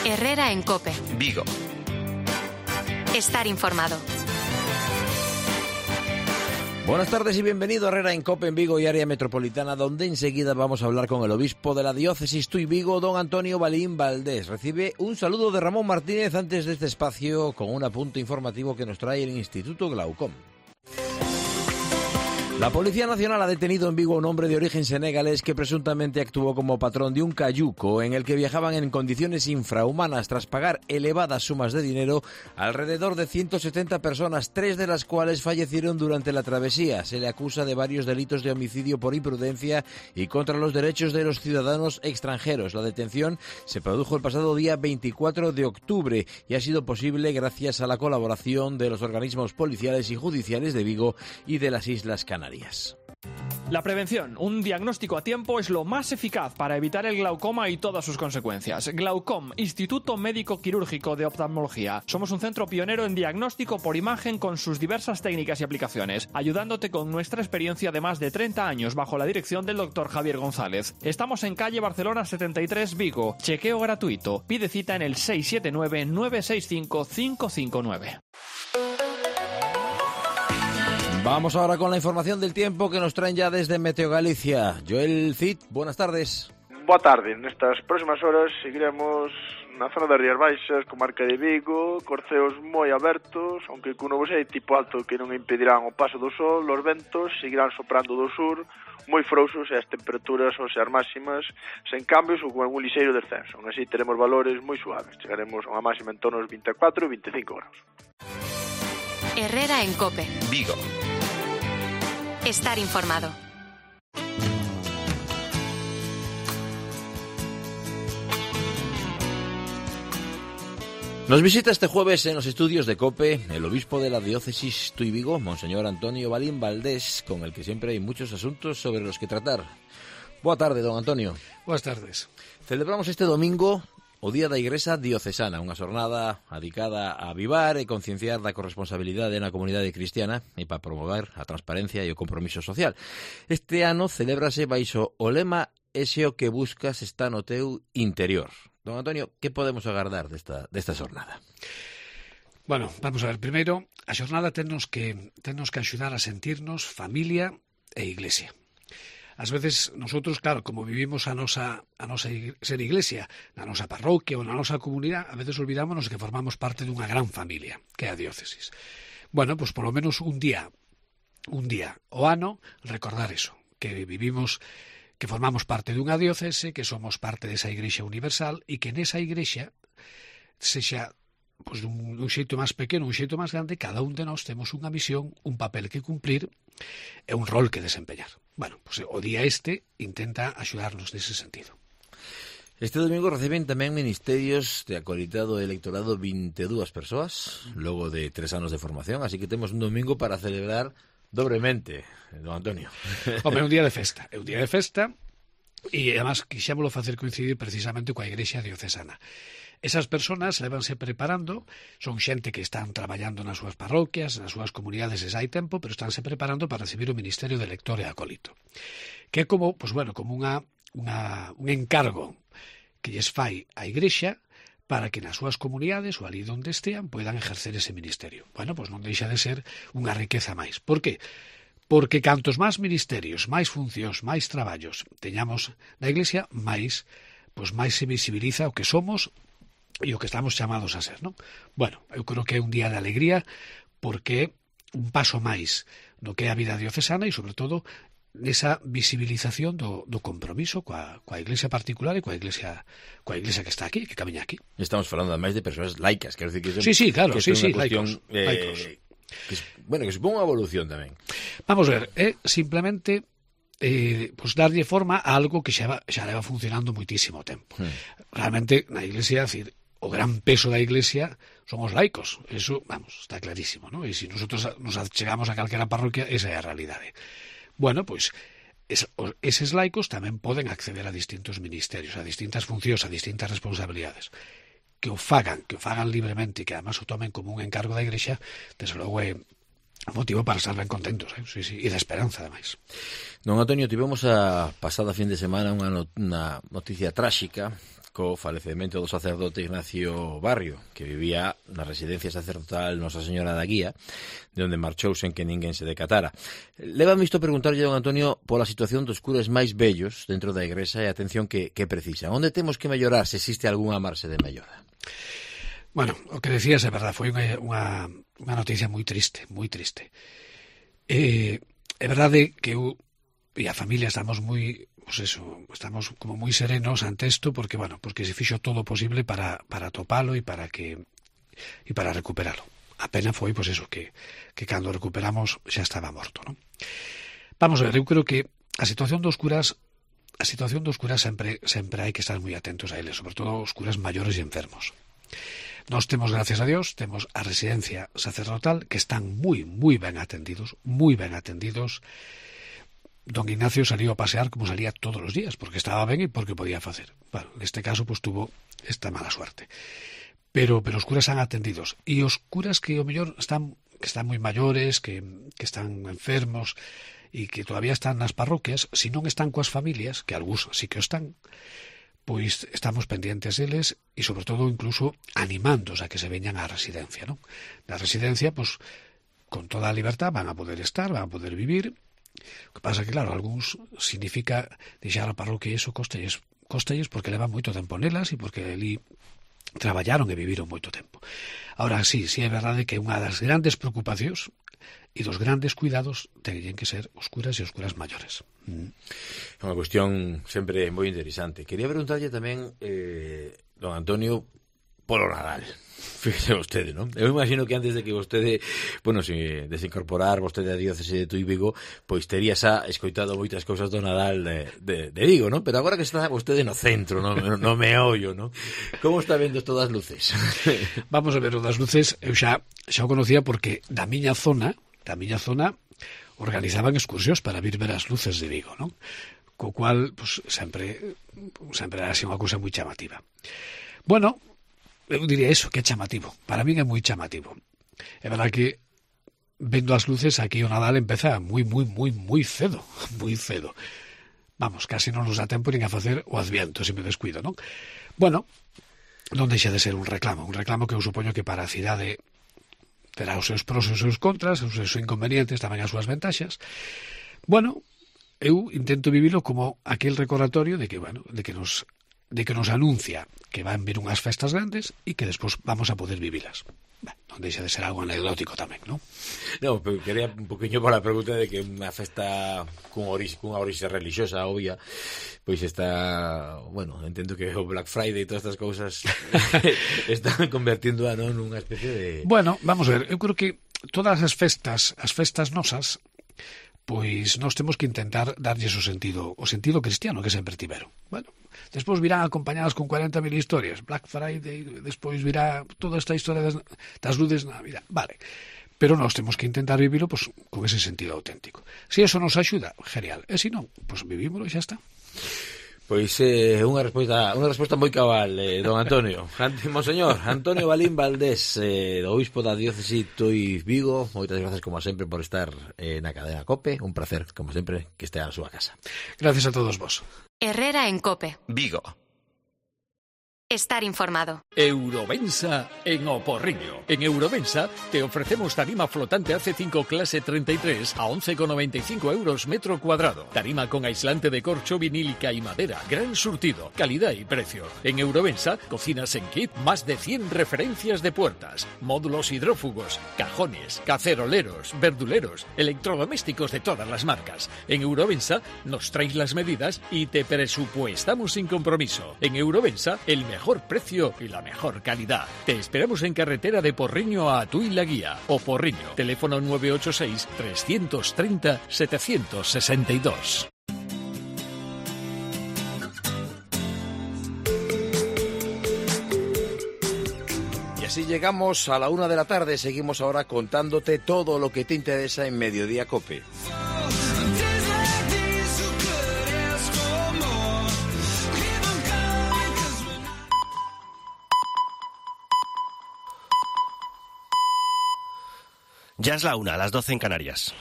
Herrera en COPE. Vigo. Estar informado. Buenas tardes y bienvenido a Herrera en COPE en Vigo y área metropolitana, donde enseguida vamos a hablar con el obispo de la diócesis Tui Vigo, don Antonio Balín Valdés. Recibe un saludo de Ramón Martínez antes de este espacio con un apunte informativo que nos trae el Instituto Glaucom. La Policía Nacional ha detenido en Vigo a un hombre de origen senegalés que presuntamente actuó como patrón de un cayuco en el que viajaban en condiciones infrahumanas tras pagar elevadas sumas de dinero a alrededor de 170 personas, 3 de las cuales fallecieron durante la travesía. Se le acusa de varios delitos de homicidio por imprudencia y contra los derechos de los ciudadanos extranjeros. La detención se produjo el pasado día 24 de octubre y ha sido posible gracias a la colaboración de los organismos policiales y judiciales de Vigo y de las Islas Canarias. La prevención, un diagnóstico a tiempo, es lo más eficaz para evitar el glaucoma y todas sus consecuencias. Glaucom, Instituto Médico Quirúrgico de Oftalmología. Somos un centro pionero en diagnóstico por imagen con sus diversas técnicas y aplicaciones, ayudándote con nuestra experiencia de más de 30 años bajo la dirección del Dr. Javier González. Estamos en calle Barcelona 73, Vigo. Chequeo gratuito. Pide cita en el 679-965-559. Vamos ahora con la información del tiempo que nos traen ya desde Meteo Galicia. Joel Cid, buenas tardes. Boa tarde. Nestas próximas horas seguiremos na zona das Rías Baixas, comarca de Vigo, corceos moi abertos, aunque con nubosidade tipo alto que non impedirán o paso do sol. Os ventos seguirán soprando do sur, moi frouxos, e as temperaturas son ser máximas sen cambios ou con un lixeiro descenso. Aún así teremos valores moi suaves. Chegaremos a unha máxima en torno aos 24 e 25 graus. Herrera en COPE. Vigo. Estar informado. Nos visita este jueves en los estudios de COPE el obispo de la diócesis Tui Vigo, Monseñor Antonio Balín Valdés, con el que siempre hay muchos asuntos sobre los que tratar. Boa tarde, don Antonio. Boas tardes. Celebramos este domingo o Día da Igrexa Diocesana, unha xornada dedicada a avivar e concienciar da corresponsabilidade na comunidade cristiana e para promover a transparencia e o compromiso social. Este ano celébrase baixo o lema "Ese o que buscas está no teu interior". Don Antonio, que podemos agardar desta xornada? Bueno, vamos a ver, primeiro, a xornada tennos que axudar a sentirnos familia e iglesia. Ás veces, nosotros, claro, como vivimos a nosa ser iglesia, na nosa parroquia ou na nosa comunidade, a veces olvidámonos que formamos parte dunha gran familia, que é a diócesis. Bueno, pues polo menos un día o ano, recordar eso, que vivimos, que formamos parte dunha diócese, que somos parte desa igrexa universal e que nesa igrexa sexa pues dun xeito máis pequeno, un xeito máis grande, cada un de nós temos unha misión, un papel que cumplir e un rol que desempeñar. Bueno, pues o día intenta axudarnos nese sentido. Este domingo reciben tamén ministerios de acolitado electorado 22 persoas, logo de 3 anos de formación, así que temos un domingo para celebrar dobremente, don Antonio. Home, é un día de festa, e además quixémolo facer coincidir precisamente coa Igrexa Diocesana. Esas persoas levanse preparando, son xente que están traballando nas súas parroquias, nas súas comunidades desde hai tempo, pero estánse preparando para recibir o Ministerio de Lector e Acólito, que é como, pues bueno, como un encargo que lles fai a Igrexa para que nas súas comunidades ou ali onde estean poidan ejercer ese ministerio. Bueno, pues non deixa de ser unha riqueza máis. Por que? Porque cantos máis ministerios, máis funcións, máis traballos teñamos na Iglesia, máis se visibiliza o que somos e o que estamos chamados a ser, non? Bueno, eu creo que é un día de alegría porque é un paso máis no que é a vida diocesana e, sobre todo, nesa visibilización do compromiso coa Iglesia particular e coa Iglesia que está aquí, que camiña aquí. Estamos falando además de persoas laicas, quero dicir que sí, claro, que sí, laicos. Que supón unha evolución tamén. Vamos a ver, simplemente pues darlle forma a algo que xa leva funcionando moitísimo tempo. Realmente, na Iglesia, decir, o gran peso da Iglesia son os laicos. Eso, vamos, está clarísimo, ¿no? E se nosotros nos chegamos a calquera parroquia, esa é a realidade. Bueno, pois, eses laicos tamén poden acceder a distintos ministerios, a distintas funcións, a distintas responsabilidades. Que o fagan libremente e que además o tomen como un encargo da Igrexa, desde logo é motivo para estar ben contentos, sí, e de esperanza, ademais. Don Antonio, tivemos a pasada fin de semana unha noticia tráxica co falecemento do sacerdote Ignacio Barrio, que vivía na residencia sacerdotal Nosa Señora da Guía, de onde marchou sen que ninguén se decatara. Lévame isto a preguntarlle, don Antonio, pola situación dos curas máis vellos dentro da igrexa e a atención que precisan. Onde temos que mellorar, se existe algunha marxe de mellora? Bueno, o que decías é verdade, foi unha noticia moi triste, moi triste. É verdade que eu e a familia estamos moi, pues eso, estamos como moi serenos ante isto porque, bueno, porque se fixo todo o posible para atopalo e para recuperalo. A pena foi, pues eso, que cando recuperamos xa estaba morto, non? Vamos a ver, eu creo que a situación dos curas sempre hai que estar moi atentos a eles, sobre todo os curas maiores e enfermos. Nós temos, gracias a Dios, temos a residencia sacerdotal que están moi ben atendidos, Don Ignacio salió a pasear como salía todos los días, porque estaba ben e porque podía facer. Bueno, neste caso, pues tuvo esta mala suerte. Pero os curas están atendidos. E os curas que, ao mellor, que están moi maiores, que están enfermos, e que todavía están nas parroquias, se non están coas familias, que algúns sí que o están, pois estamos pendientes deles e, sobre todo, incluso animándos a que se veñan á residencia, non? Na residencia, pois, con toda a libertad van a poder estar, van a poder vivir. O que pasa que, claro, algúns significa deixar a parroquia e iso costelles porque levan moito tempo nelas e porque ali traballaron e viviron moito tempo. Ahora, sí é verdade que unha das grandes preocupacións e dos grandes cuidados teñen que ser os curas e os curas maiores. É unha cuestión sempre moi interesante. Quería preguntarlle tamén, don Antonio, polo Nadal. Fíjese vostede, non? Eu imagino que antes de que vostede, bueno, se desincorporar vostede a diócese de Tui Vigo, pois tería xa escoitado moitas cousas do Nadal de Vigo, non? Pero agora que está vostede no centro, no meollo, non? Como está vendo todas as luces? Vamos a ver, o das luces eu xa o conocía porque da miña zona organizaban excursións para vir ver as luces de Vigo, non? Co cual, pues, sempre era así unha cousa moi chamativa. Bueno, eu diría eso, que é chamativo. Para min é moi chamativo. É verdad que vendo as luces aquí o Nadal empeza moi cedo. Moi cedo. Vamos, casi non nos dá tempo nin a facer o Adviento, se me descuido, non? Bueno, non deixa de ser un reclamo que eu supoño que para a cidade terá os seus pros e os seus contras, os seus inconvenientes, tamén as súas ventaxas. Bueno, eu intento vivilo como aquel recordatorio de que nos anuncia que van vir unhas festas grandes e que despois vamos a poder vivilas. Non deixa de ser algo anecdótico tamén, non? Non, pero quería un poquinho para a pregunta de que unha festa cunha orixe religiosa obvia, pois está, bueno, entendo que o Black Friday e todas estas cousas están convertindo nunha especie de... Bueno, vamos a ver, eu creo que todas as festas nosas, pois nós temos que intentar darlles o sentido cristiano que sempre tiveron. Bueno, despois virán acompañadas con 40.000 historias, Black Friday, despois virá toda esta historia das luces na Navidad, vale. Pero nós temos que intentar vivilo pues, con ese sentido auténtico. Se eso nos axuda, genial. E se non, pues vivímolo e xa está. Pois unha resposta moi cabal, don Antonio. Monseñor Antonio Balín Valdés, do obispo da diócese Tui Vigo, moitas grazas como sempre por estar na cadena COPE, un placer como sempre que estea na súa casa. Gracias a todos vos. Herrera en COPE. Vigo. Estar informado. Eurovensa en O Porriño. En Eurovensa te ofrecemos tarima flotante AC5 clase 33 a 11,95 euros metro cuadrado. Tarima con aislante de corcho, vinílica y madera. Gran surtido, calidad y precio. En Eurovensa, cocinas en kit, más de 100 referencias de puertas, módulos hidrófugos, cajones, caceroleros, verduleros, electrodomésticos de todas las marcas. En Eurovensa nos traes las medidas y te presupuestamos sin compromiso. En Eurovensa, el mejor precio y la mejor calidad. Te esperamos en carretera de Porriño a Tui la Guía o Porriño. Teléfono 986 330 762. Y así llegamos a la 1 de la tarde. Seguimos ahora contándote todo lo que te interesa en Mediodía COPE. Ya es la 1, a las 12 en Canarias.